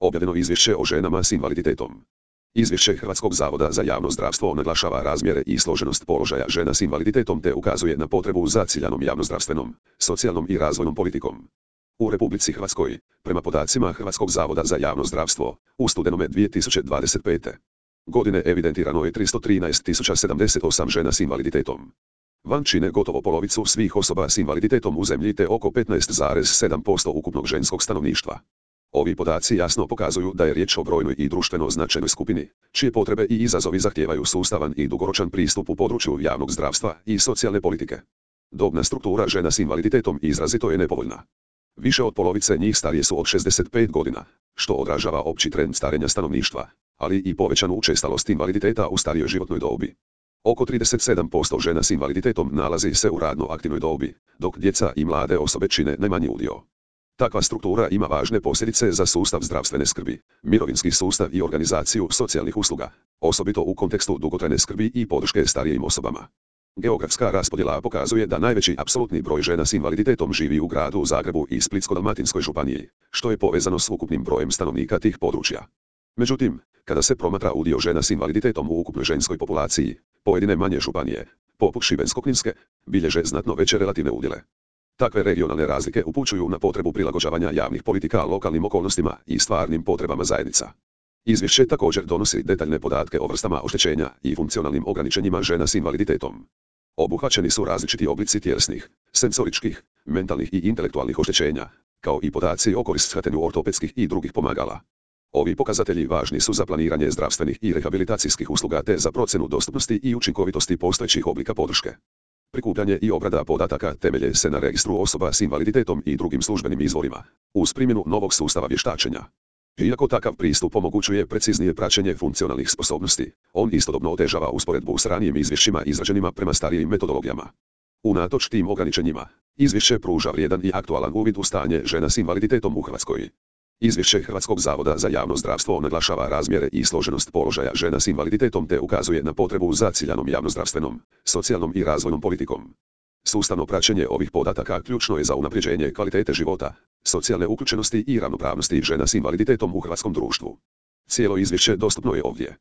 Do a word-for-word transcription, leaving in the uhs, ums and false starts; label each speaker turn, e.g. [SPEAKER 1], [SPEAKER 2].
[SPEAKER 1] Objavljeno izvješće o ženama s invaliditetom. Izvješće Hrvatskog zavoda za javno zdravstvo naglašava razmjere i složenost položaja žena s invaliditetom te ukazuje na potrebu za ciljanom javnozdravstvenom, socijalnom i razvojnom politikom. U Republici Hrvatskoj, prema podacima Hrvatskog zavoda za javno zdravstvo, u studenome dvije tisuće dvadeset pete. godine evidentirano je tristo trinaest tisuća sedamdeset osam žena s invaliditetom. Van čine gotovo polovicu svih osoba s invaliditetom u zemlji te oko petnaest zarez sedam posto ukupnog ženskog stanovništva. Ovi podaci jasno pokazuju da je riječ o brojnoj i društveno značajnoj skupini, čije potrebe i izazovi zahtijevaju sustavan i dugoročan pristup u području javnog zdravstva i socijalne politike. Dobna struktura žena s invaliditetom izrazito je nepovoljna. Više od polovice njih starije su od šezdeset pet godina, što odražava opći trend starenja stanovništva, ali i povećanu učestalost invaliditeta u starijoj životnoj dobi. Oko trideset sedam posto žena s invaliditetom nalazi se u radno aktivnoj dobi, dok djeca i mlade osobe čine najmanji udio. Takva struktura ima važne posljedice za sustav zdravstvene skrbi, mirovinski sustav i organizaciju socijalnih usluga, osobito u kontekstu dugotrajne skrbi i podrške starijim osobama. Geografska raspodjela pokazuje da najveći apsolutni broj žena s invaliditetom živi u gradu Zagrebu i Splitsko-dalmatinskoj županiji, što je povezano s ukupnim brojem stanovnika tih područja. Međutim, kada se promatra udio žena s invaliditetom u ukupnoj ženskoj populaciji, pojedine manje županije, poput Šibensko-kninske, bilježe znatno veće relativne udjele. Takve regionalne razlike upućuju na potrebu prilagođavanja javnih politika lokalnim okolnostima i stvarnim potrebama zajednica. Izvješće također donosi detaljne podatke o vrstama oštećenja i funkcionalnim ograničenjima žena s invaliditetom. Obuhvaćeni su različiti oblici tjelesnih, senzoričkih, mentalnih i intelektualnih oštećenja, kao i podaci o korištenju ortopedskih i drugih pomagala. Ovi pokazatelji važni su za planiranje zdravstvenih i rehabilitacijskih usluga te za procjenu dostupnosti i učinkovitosti postojećih oblika podrške. Prikupljanje i obrada podataka temelje se na registru osoba s invaliditetom i drugim službenim izvorima, uz primjenu novog sustava vještačenja. Iako takav pristup omogućuje preciznije praćenje funkcionalnih sposobnosti, on istodobno otežava usporedbu s ranijim izvješćima izrađenima prema starijim metodologijama. Unatoč tim ograničenjima, izvješće pruža vrijedan i aktualan uvid u stanje žena s invaliditetom u Hrvatskoj. Izvješće Hrvatskog zavoda za javno zdravstvo naglašava razmjere i složenost položaja žena s invaliditetom te ukazuje na potrebu za ciljanom javnozdravstvenom, socijalnom i razvojnom politikom. Sustavno praćenje ovih podataka ključno je za unapređenje kvalitete života, socijalne uključenosti i ravnopravnosti žena s invaliditetom u hrvatskom društvu. Cijelo izvješće dostupno je ovdje.